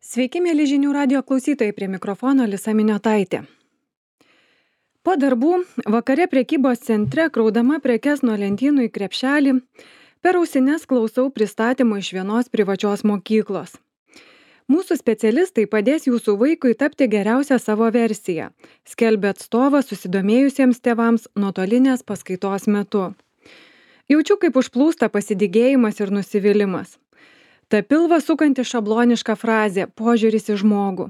Sveiki, mėly žinių radio klausytojai, prie mikrofono Lisa Miniotaitė. Po darbų vakare prekybos centre, kraudama prekes nuo lentynų į krepšelį, per ausines klausau pristatymo iš vienos privačios mokyklos. Mūsų specialistai padės jūsų vaikui tapti geriausią savo versiją, skelbia atstovas susidomėjusiems tėvams nuotolinės paskaitos metu. Jaučiu, kaip užplūsta pasidygėjimas ir nusivylimas. Ta pilvą sukanti šabloniška frazė – požiūris į žmogų.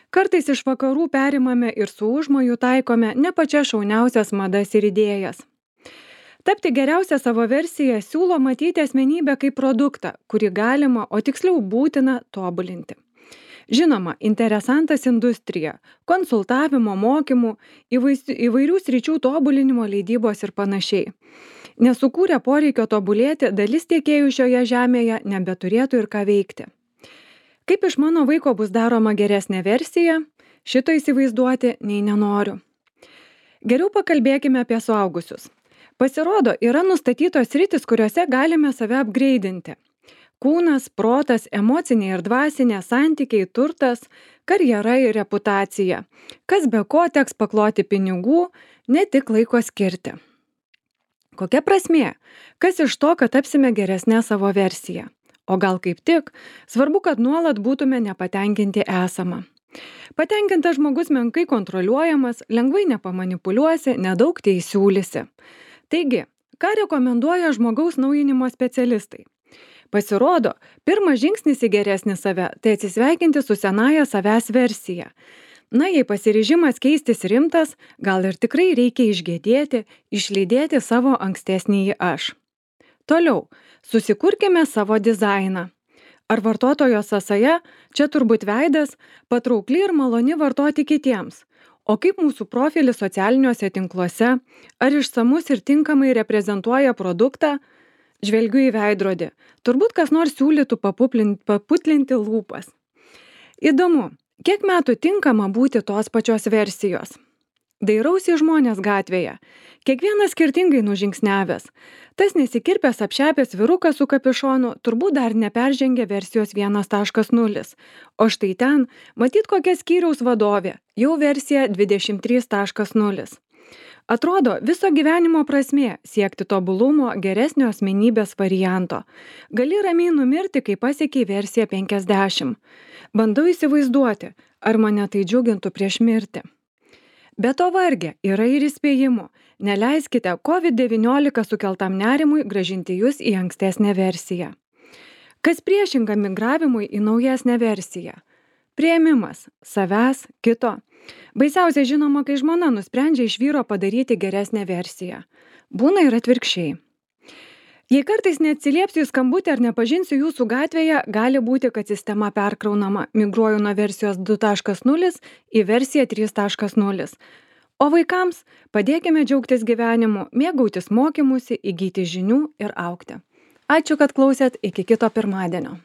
Kartais iš vakarų perimame ir su užmoju taikome ne pačias šauniausias madas ir idėjas. Tapti geriausią savo versiją siūlo matyti asmenybę kaip produktą, kurį galima, o tiksliau būtina tobulinti. Žinoma, interesantas industrija, konsultavimo, mokymų, įvairių sričių tobulinimo, leidybos ir panašiai. Nesukūrę poreikio tobulėti, dalis tiekėjų šioje žemėje nebeturėtų ir ką veikti. Kaip iš mano vaiko bus daroma geresnė versija, šito įsivaizduoti nei nenoriu. Geriau pakalbėkime apie suaugusius. Pasirodo, yra nustatytos sritis, kuriuose galime save apgreidinti. Kūnas, protas, emocinė ir dvasinė, santykiai, turtas, karjera ir reputacija. Kas be ko teks pakloti pinigų, ne tik laiko skirti. Kokia prasmė? Kas iš to, kad tapsime geresnę savo versiją? O gal kaip tik, svarbu, kad nuolat būtume nepatenkinti esama. Patenkintas žmogus menkai kontroliuojamas, lengvai nepamanipuliuosi, nedaug teisiūlysi. Taigi, ką rekomenduoja žmogaus naujinimo specialistai? Pasirodo, pirmas žingsnis į geresnį save – tai atsisveikinti su senaja savęs versija. Na, jei pasiryžimas keistis rimtas, gal ir tikrai reikia išgėdėti, išlydėti savo ankstesnįjį aš. Toliau, susikurkime savo dizainą. Ar vartotojo sąsaja, čia turbūt veidas, patraukli ir maloni vartoti kitiems. O kaip mūsų profilis socialiniuose tinkluose, ar išsamus ir tinkamai reprezentuoja produktą? Žvelgiu į veidrodį. Turbūt kas nors siūlytų paputlinti lūpas. Įdomu, kiek metų tinkama būti tos pačios versijos? Dairausi žmonės gatvėje. Kiekvienas skirtingai nužingsniavęs. Tas nesikirpęs apšepęs vyrukas su kapišonu turbūt dar neperžengė versijos 1.0. O štai ten, matyt kokia skyriaus vadovė, jau versija 23.0. Atrodo, viso gyvenimo prasmė siekti tobulumo, geresnio asmenybės varianto. Gali ramiai numirti, kai pasiekiai versiją 50. Bandau įsivaizduoti, ar mane tai džiugintų prieš mirtį. Be to varge yra ir įspėjimų. Neleiskite COVID-19 sukeltam nerimui grąžinti jūs į ankstesnę versiją. Kas priešinga migravimui į naujesnę versiją? Priėmimas savęs, kito. Baisiausia žinoma, kai žmona nusprendžia iš vyro padaryti geresnę versiją. Būna ir atvirkščiai. Jei kartais neatsiliepsiu į skambutį ar nepažinsiu jūsų gatvėje, gali būti, kad sistema perkraunama. Migruoju nuo versijos 2.0 į versiją 3.0. O vaikams padėkime džiaugtis gyvenimu, mėgautis mokymusi, įgyti žinių ir augti. Ačiū, kad klausėt, iki kito pirmadienio.